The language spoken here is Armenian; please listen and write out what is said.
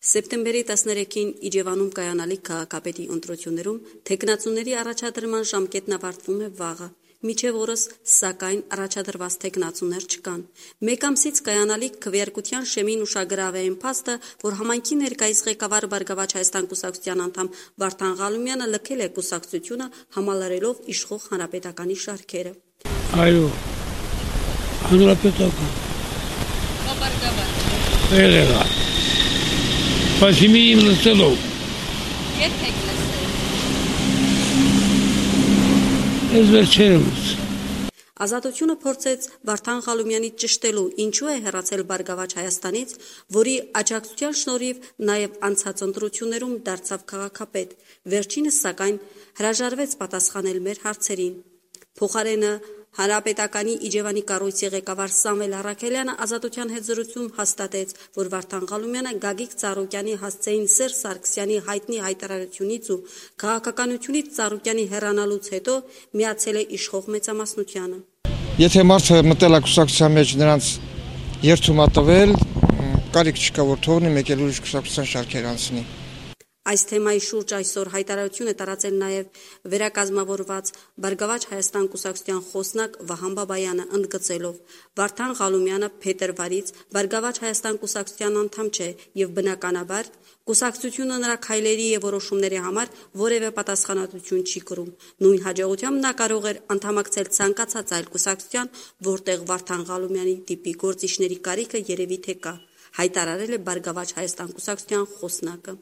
Սեպտեմբերի 13-ին Իջևանում կայանալիք քաղաքապետի ընտրություններում թեկնածուների առաջադրման ժամկետն ավարտվում է վաղը, մինչև օրս, սակայն առաջադրված թեկնածուներ չկան։ Մեկ ամսից կայանալիք քվեարկության շեմին ուշագրավ է այն փաստը, որ համայնքի ներկայիս ղեկավար Բարգավաճ Հայաստան կուսակցության անդամ Վարդան Ղալումյանը լքել է կուսակցությունը, համալրելով իշխող Հանրապետականի շարքերը։ Այո, Հանրապետական։ Բարգավաճ։ Բայց հիմի իմ լսելով։ Երբ եք լսել։ Ես վերջերս։ Ազատությունը փորձեց Վարդան Ղալումյանի ճշտելու, ինչու է հեռացել Բարգավաճ Հայաստանից, որի աջակցության շնորհիվ նաև անցած ընտրություններում դարձավ քաղաքապետ։ Վերջինս, սակայն, հրաժարվեց պատասխանել մեր հարցերին։ Փոխարենը Հանրապետականի Իջևանի կառույցի ղեկավար Սամվել Առաքելյանը Ազատության հետ զրույցում հաստատեց, որ Վարդան Ղալումյանը Գագիկ Ծառուկյանի հասցեին Սերժ Սարգսյանի հայտնի հայտարարությունից ու քաղաքականությունից Ծառուկյանի հեռանալուց հետո միացել է իշխող մեծամասնությանը։ Եթե մարդը մտել է կուսակցության մեջ, նրանց երթում է տվել, կարիք չկա, որ թողնի մեկ էլ ուրիշ կուսակցության շարքեր անցնի։ Այս թեմայի շուրջ այսօր հայտարարություն է տարածել նաև վերակազմավորված Բարգավաճ Հայաստան կուսակցության խոսնակ Վահան Բաբայանը, ընդգծելով. Վարդան Ղալումյանը փետրվարից Բարգավաճ Հայաստան կուսակցության անդամ չէ եւ բնականաբար կուսակցությունը նրա քայլերի եւ որոշումների համար որևէ պատասխանատվություն չի կրում։ Նույն հաջողությամբ նա կարող էր անդամակցել ցանկացած այլ կուսակցության, որտեղ Վարդան Ղալումյանի տիպի գործիչների կարիքը երևի թե կա, հայտարարել է Բարգավաճ Հայաստան կուսակցության խոսնակը։